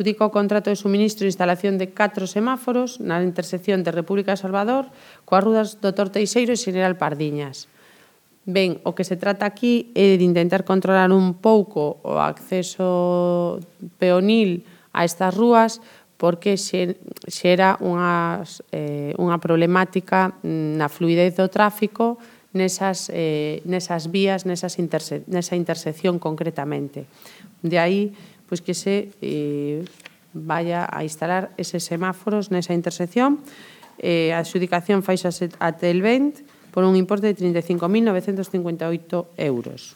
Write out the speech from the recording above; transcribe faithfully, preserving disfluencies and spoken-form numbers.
Adjudica o contrato de suministro e instalación de catro semáforos na intersección de República de Salvador coas rudas doutor Teixeiro e Xeneral Pardiñas. Ben, o que se trata aquí é de intentar controlar un pouco o acceso peonil a estas rúas porque xera unhas, eh, unha problemática na fluidez do tráfico nesas, eh, nesas vías, nesas interse nesa intersección concretamente. De aí pois que se eh, vaya a instalar eses semáforos nesa intersección. Eh, a adxudicación faixa até el vinte por un importe de trinta e cinco mil novecentos cincuenta e oito euros.